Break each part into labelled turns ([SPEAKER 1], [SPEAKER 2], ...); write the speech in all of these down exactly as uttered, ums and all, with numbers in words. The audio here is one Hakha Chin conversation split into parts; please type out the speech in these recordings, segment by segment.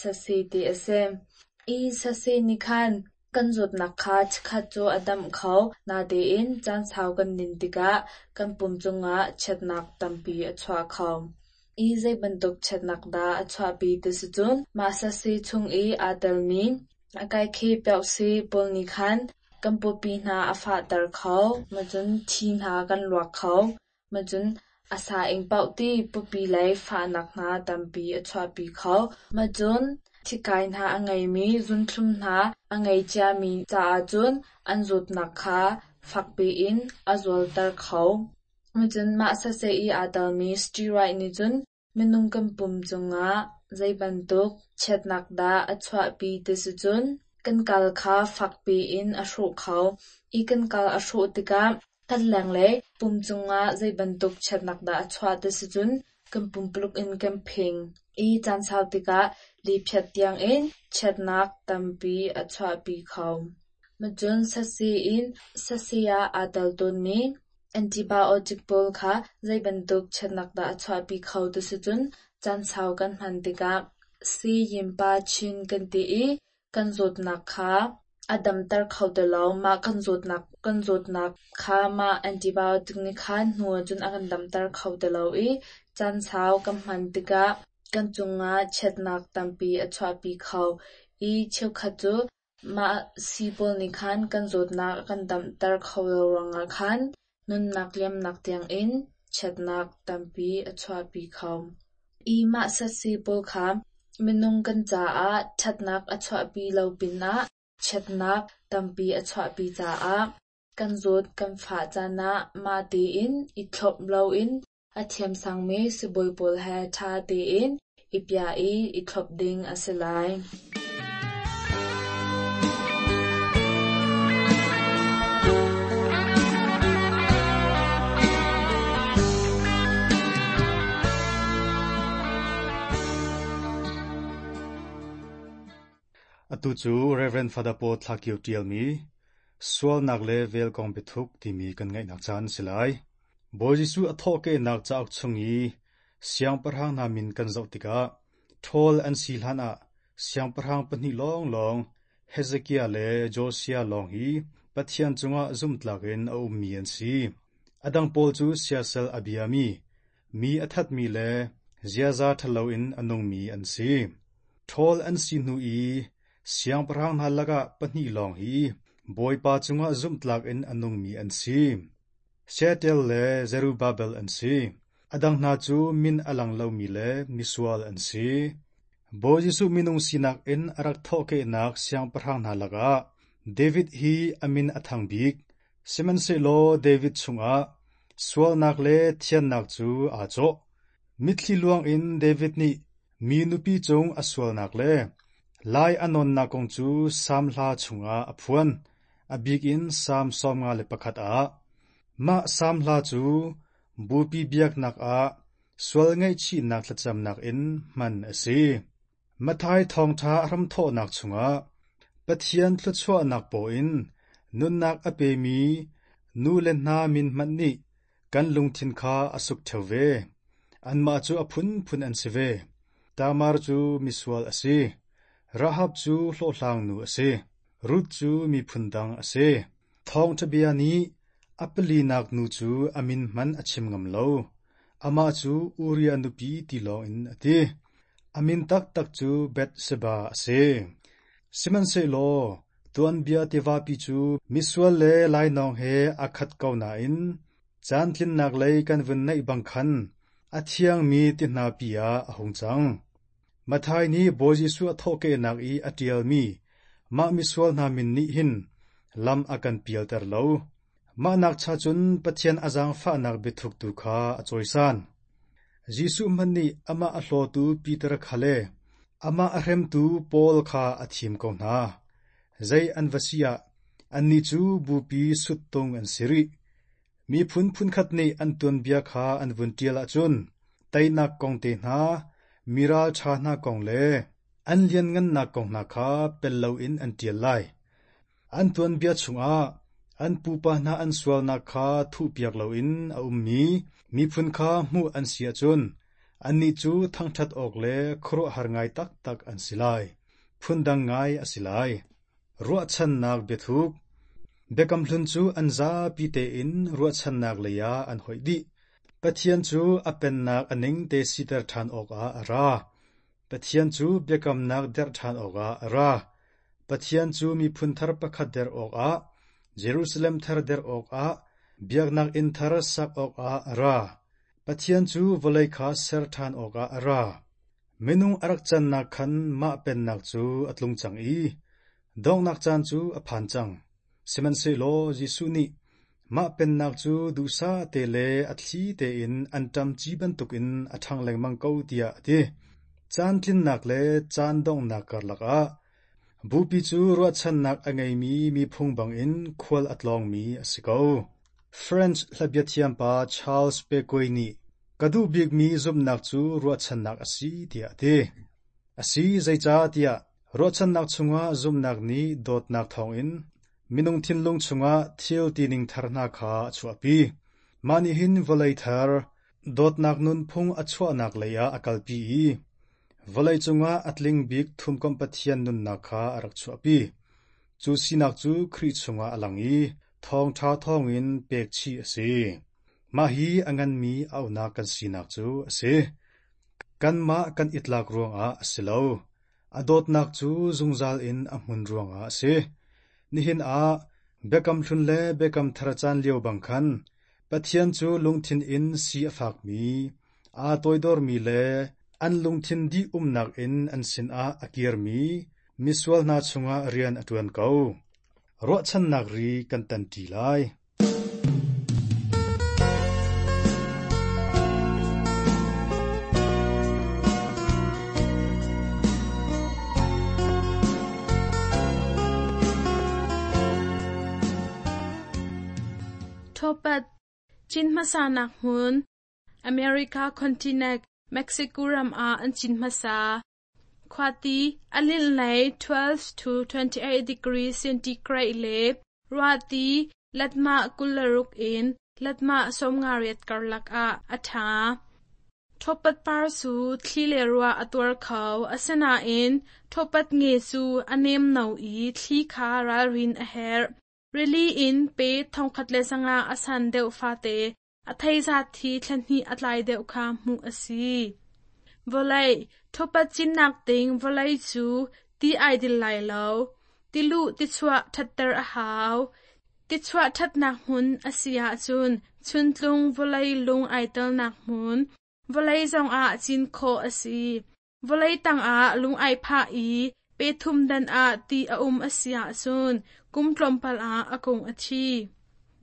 [SPEAKER 1] sasi ti a si. I sasi nih khan kan zawtnak kha chikkhat cu a damh kho, natein caan sau kan din tikah kan pum cungah chiatnak tampi a chuah kho. I zei bantuk chiatnak dah a chuahpi ti si cun mah sasi chung i aa telmi a kaikhe piauhsi pawl nih khan kan pawpi hna a fahter kho, macun thi hna kan luak kho, macun a sa ing paoh ti pawpi lei fahnak hna tampi a chuahpi kho. Macun thikai hna a ngeimi zunthlum hna a ngei ciami caah cun an zawtnak kha fakpi in a zualter kho. Macun mah saseh i aa telmi steroid nih cun minung kan pum cungah zei bantuk chiatnak dah a chuahpi ti si cun kan kal kha fakpi in a hrawh kho. I kan kal a hrawh tikah kan lenglei pum cungah zei bantuk chiatnak dah a chuah ti si cun kan pumpuluk in kan phing. I caan sau tikah liphiat tiangin chiatnak tampi a chuahpi kho. Macun sasi in sasi ah aa tel tawnmi antibiotic pawl kha zei bantuk chiatnak dah a chuahpi kho ti si cun caan sau kan hman tikah si yinpa chin kan ti i kan zawtnak kha a damter kho ti lo. Mah kan zawtnak kan zawtnak kha mah antibiotic nih khan hnu ahcun a kan damter kho ti lo i caan sau kan hman tikah kan cungah chiatnak tampi a chuahpi kho. I cheukhat cu mah sii pawl nih khan kan zawtnak a kan damter kho lo ruangah khan nunnak liamnak tiangin chiatnak tampi a chuahpi kho. I mah sasi pawl kha minung kan caah ṭhatnak a chuahpi lo pinah chiatnak tampi a chuahpi caah kan zawt kan fah caan ah mah tein i thlop loin a thiamsangmi sibawi pawl he ṭha tein i piah i i thlop ding a si lai.
[SPEAKER 2] Atu cu Reverend Father Paul Thla Kio ṭialmi Sualnak le Vel kong biathuk timi kan ngaihnak caan a si lai. Bawi Jesuh a thawhkehnak cauk chung i siangpahrang hna min kan zoh tikah ṭhawl an si hlanah siangpahrang pahnih lawnglawng Hezekiah le Josiah lawng hi Pathian cungah zumhtlak in a ummi an si. A dang pawl cu siasal a biami, mi a thatmi le ziaza ṭhalo in a nungmi an si. Ṭhawl an si hnu i siangpahrang hna lakah pahnih lawng hi Bawipa cungah zumhtlak in a nungmi an si. Shealtiel le Zerubbabel an si. A dang hna cu min a lang lomi le misual an si. Bawi Jesuh minung sinak in a rak thawhkehnak siangpahrang hna lakah David hi a min a thang bik. Sihmanhsehlaw David chungah sualnak le thiannak cu aa cawh. Mitthli luang in David nih mi nupi cung a sualnak le lai a nawnnak kong cu Salm hla chungah a phuan, a bik in Salm sawmnga le pakhat ah. Mah Salm hla cu bupi biaknak ah sual ngaihchihnak thlacamnak in hman a si. Matthai thawngṭha a hramthawhnak chungah Pathian thluachuahnak paw in nunnak a pemi nu le hna min hmanh nih kan lungthin kha a suk ṭheo ve. Anmah cu a phunphun an si ve. Tamar cu misual a si. Rahab cu hlawhhlangnu a si. Ruth cu miphun dang a si. Thawngṭha bia nih a palinak nu cu a min hmanh a chim ngam lo. Amah cu Uriah nupi ti lawngin a ti. A min taktak cu Bathsheba a si. Sihmanhsehlaw tuanbia tivapi cu misual le lainawng he aa khat ko nain caantlinnak lei kan vun naih bang khan a thiangmi ti hnapi ah a hung cang. Matthai nih Bawi Jesuh a thawhkehnak i a ṭialmi mah misual hna min nih hin lam a kan pialter lo. Mah nakcha cun Pathian a zaangfahnak biathuk tu kha a cawisan. Jesuh hmanh nih amah a hlawtu Peter kha le amah a hremtu Paul kha a thim ko hna. Zei an va si ah annih cu bupi suttung an si rih. Miphun phunkhat nih an tuanbia kha an vun ṭial ahcun teinak kong te hna, mi ralṭha hna kong le an lianngannak kong hna kha pel loin an ṭial lai. An tuanbia chungah an pupa hna an sualnak kha thuhpiak loin a ummi miphun kha hmuh an si ahcun Annih cu thangṭhat awk le khuaruahhar ngai taktak an si lai. Phundang ngai a si lai. Ruahchannak biathuk Biakam Hlun cu an zapi tein ruahchannak lei ah an hoih dih. Pathian cu a pennak a ningte siter ṭhan awkah a ra. Pathian cu biakamnak derh ṭhan awkah a ra. Pathian cu miphun thar pakhat derh awkah, Jerusalem thar derh awkah, biaknak inn thar sak awkah a ra. Pathian cu vawlei kha ser ṭhan awkah a ra. Minung a rak cannak khan mah pennak cu a tlung cang i donghnak caan cu a phan cang. Sihmanhsehlaw Jesuh nih mah pennak cu duhsah te le a thli tein anṭam ci bantukin a ṭhang lengmang ko tiah a ti. Caan tlinnak le caan donghnak karlak ah Bupi cu ruahchannak a ngeimi miphung bangin khual a tlawngmi a si ko. French hlabia thiampa Charles Peguy nih ka duh bikmi zumhnak cu ruahchannak a si tiah a ti. A si zeicahtiah ruahchannak chungah zumhnak nih dawtnak thawngin minung thinlung chungah thil tining thar hna kha a chuahpi. Mah nih hin vawlei thar, dawtnak nunphung a chuahnak lei ah a kalpi i vawlei cungah a tling bik thumkomh Pathian nunnak kha a rak chuahpi. Cu sinak cu Khrih chungah a lang i thawngṭha thawngin pekchih a si. Mah hi a nganmi auhnak kan sinak cu a si. Kanmah kan i tlak ruangah a si lo. A dawtnak cu zungzal in a hmun ruangah a si. Nihin ah Biakam Hlun le Biakam Thar caan lio bang khan Pathian cu lungthin in si a fakmi, aa toidormi le an lungthin dih umnak in an sinah a kirmi misual hna chungah rian a ṭuan ko. Ruahchannak ri kan tanṭi lai.
[SPEAKER 3] Thopat cin hmasa nak hmun America continent Mexico ram ah an cin hmasa. Khuati a linh lei twelve to twenty-eight degree centigrade le ruahti latmah kul le ruk in latmah sawmnga riat karlak ah a ṭha. Thopat par cu thli le ruah a tuar kho, asinain thopat nge cu a nem no i thli kha ralrin a herh. Rili in pe thongkhat le sanga a san deuh fate, a thei zat thi thla hnih a tlai deuh kha hmuh a si. Vawlei, thopat cinnak ding vawlei cu ti ai dil lai lo. Tiluh tichuah ṭhatter a hau. Tichuah ṭhatnak hmun a si ahcun chuntlung vawlei lung ai telnak hmun, vawlei zongah cin khawh a si. Vawlei tangah lung ai phah i pe thum dan ah ti a um a si ahcun kum tlawmpal ah a kung a thi.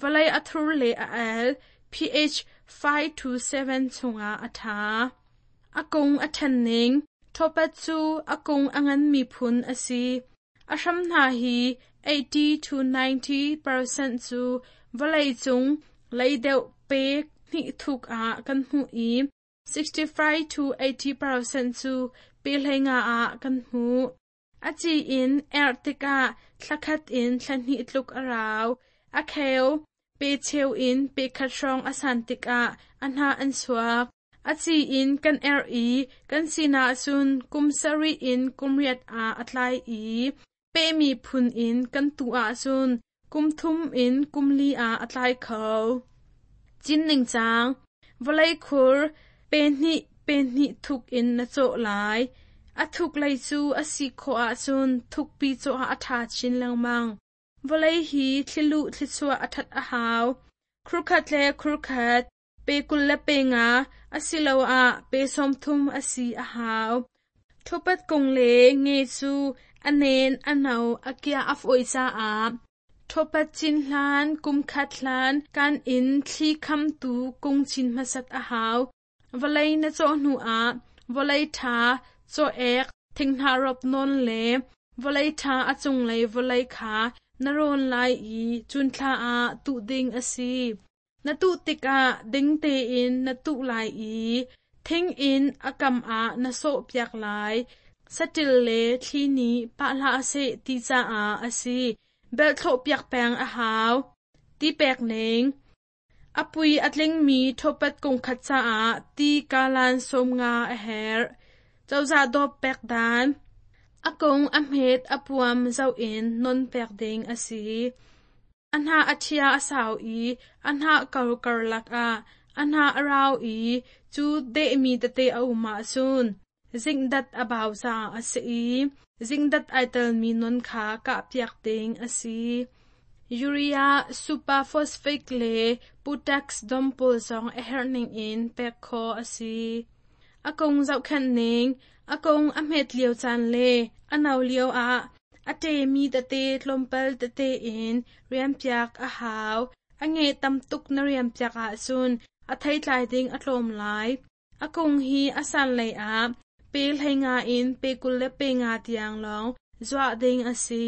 [SPEAKER 3] Vawlei a thur le a el, pH five to seven chungah a ṭha. A kung a ṭhen ning, thopat cu a kung a nganmi phun a si. A hram hna hi eighty to ninety percent cu vawlei cung lei deuh pe hnih thuk ah kan hmuh i sixty-five to eighty percent cu pe hleinga ah kan hmuh. A ci in erh tikah thlakhat in thlahnih tluk a rau. A kheu, pe cheu in pe khat hrawng a san tikah a hnah an chuak. A ci in kan erh i kan sinah cun kum sarih in kum riat ah a tlai i pehmi phun in kan tuh ahcun kum thum in kum li ah a tlai kho. Cin ningcang, vawlei khur pe hnih pe hnih thuk in na cawh lai. A thuk lei cu a si khawh ahcun thukpi cawh ah a ṭha chin lengmang. Vawlei hi thliluh thlichuah a ṭhat a hau. Khurkhat le khurkhat, pe kul le pe nga, asiloah pe sawmthum a si a hau. Thopat kung le nge cu a nen a no a kia a fawi caah thopat cin hlan kum khat hlan kan in thli khamtu kung cin hmasat a hau. Vawlei na cawh hnu ah vawlei ṭha cawh ek thinghnah rop nawn le vawlei ṭha a cunglei vawlei kha na rawn lai i cunthla ah tuh ding a si. Na tuh tikah ding tein na tuh lai i thing in a kam ah na sawhpiak lai. Saṭil le thli nih pah hlah seh ti caah a si. Belh thlawhpiak peng a hau. Ti pek ning. A pui a tlingmi ṭhawpat kung khat caah ti kalan sawm nga a herh. Cozah dawp pek dan. A kung a hmet a puam zoh in non pek ding a si. A hnah a ṭhia a sau i a hnah kor karlak ah a hnah a rau i cu dehmi tete a um ahcun zingdat a bau caah a si i zingdat ai telmi non kha kahpiak ding a si. Urea, superphosphate le potash dom pawl zong a herh ningin pek khawh a si. A kung zohkhenh ning, a kung a hmet lio caan le a no lio ah a ṭemi tete tlawmpal tete in riampiak a hau. A nge tam tuk na riampiak ahcun a theitlai ding a tlawm lai. A kung hi a san lei ah pe hlei nga in pe kul le pe nga tiang lawng zuah ding a si.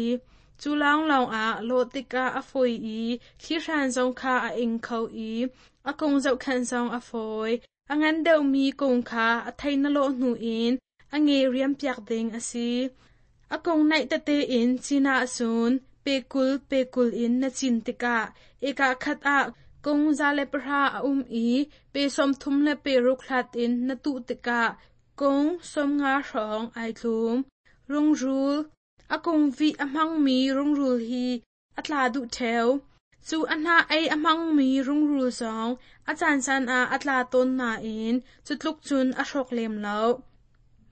[SPEAKER 3] Cu lawnglawng ah lawh tikah a fawi i thlihran zong kha a ing kho i a kung zohkhenh zong a fawi. A ngan deuhmi kung kha a thei na lawh hnu in a nge riampiak ding a si. A kung naih tete in cin ahcun pe kul pe kul in na cin tikah eka khat ah kung za le pahra a um i pe sawmthum le pe ruk hlat in na tuh tikah kung sawmnga hrawng ai tlum. Rungrul A kung vih a hmangmi rungrul hi a tla duh ṭheo. Cu a hnah ei a hmangmi rungrul zong a caancaan ah a tla tawn nain cu tluk cun a hrawk lem lo.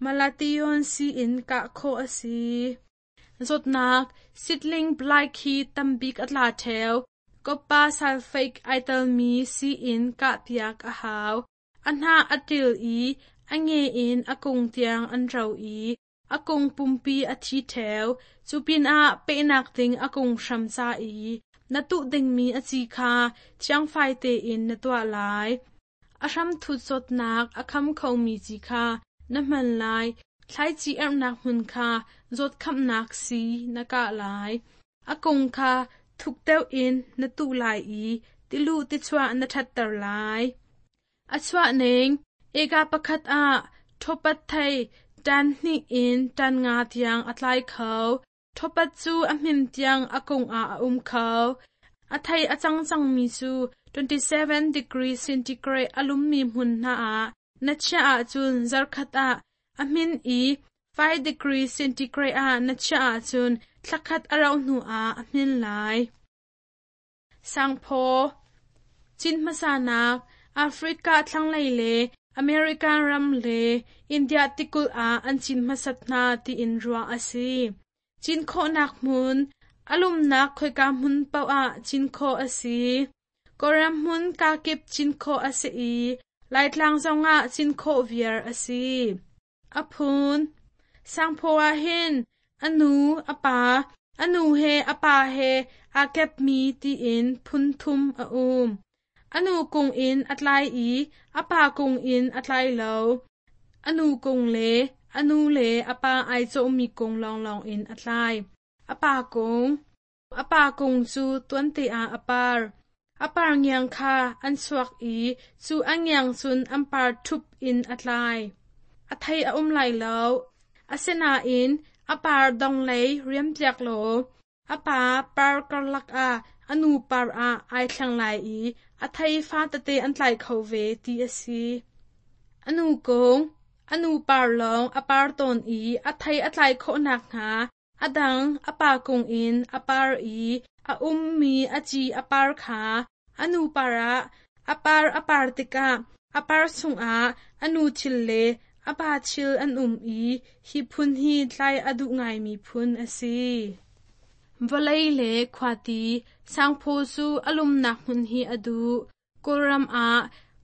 [SPEAKER 3] Malathion sii in kah khawh a si. Zawtnak seedling blight hi tambik a tla ṭheo. Copper sulfate ai telmi sii in kahpiak a hau. A hnah a ṭil i a nge in a kung tiang an ro i a kung pumpi a thi ṭheo. Cu pinah pehnak ding a kung hram ca i na tuh dingmi a ci kha thiangfai tein na tuah lai. A hramthut zawtnak a kham khomi ci kha na hman lai. Thlaici erhnak hmun kha zawtkhamnak sii na kah lai. A kung kha thuk deuh in na tuh lai i tiluh tichuah na ṭhatter lai. A chuah ning eka pakhat ah ṭhawpat thei ṭan hnih in ṭan nga tiang a tlai kho. Ṭhawpat cu a hmin tiang a kung ah a um kho. A thei a cang cangmi cu twenty-seven degree centigrade a lummi hmun hna ah na chiah ahcun zarkhat ah a hmin i five degree centigrade ah na chiah ahcun thlakhat a rauh hnu ah a hmin lai. Sangphaw Cin hmasanak Africa thlanglei le American ram le India tikulh ah an cin hmasat hna tiin ruah a si. Cin khawhnak hmun a lumnak khoika hmun paoh ah cin khawh a si. Kawlram hmun kakip cin khawh a si i Laitlang zongah cin khawh viar a si. A phun Sangphaw ah hin a nu, a pa, a nu he a pa he aa kepmi tiin phun thum a um. A nu kung in a tlai i a pa kung in a tlai lo. A nu kung le a nu le a pa ai cawhmi kung lawnglawng in a tlai. A pa kung A pa kung cu tuante ah a par. A par ngiang kha an chuak i cu a ngiang cun an par ṭhup in a tlai. A thei a um lai lo. Asinain a par donglei riampiak law a pa par karlak ah a nu par ah ai thleng lai i a thei fa tete an tlai kho ve ti a si. A nu kung A nu par lawng a par tawn i a thei a tlai khawh nakhnga a dang a pa kung in a par i a ummi a ci a par kha a nu par ah a par a par tikah a par chungah a nu thil le a pa thil an um i hi phun hi tlai a duh ngaimi phun a si. Vawlei le khuati sangphaw cu a lumnak hmun hi a duh. Kawlram ah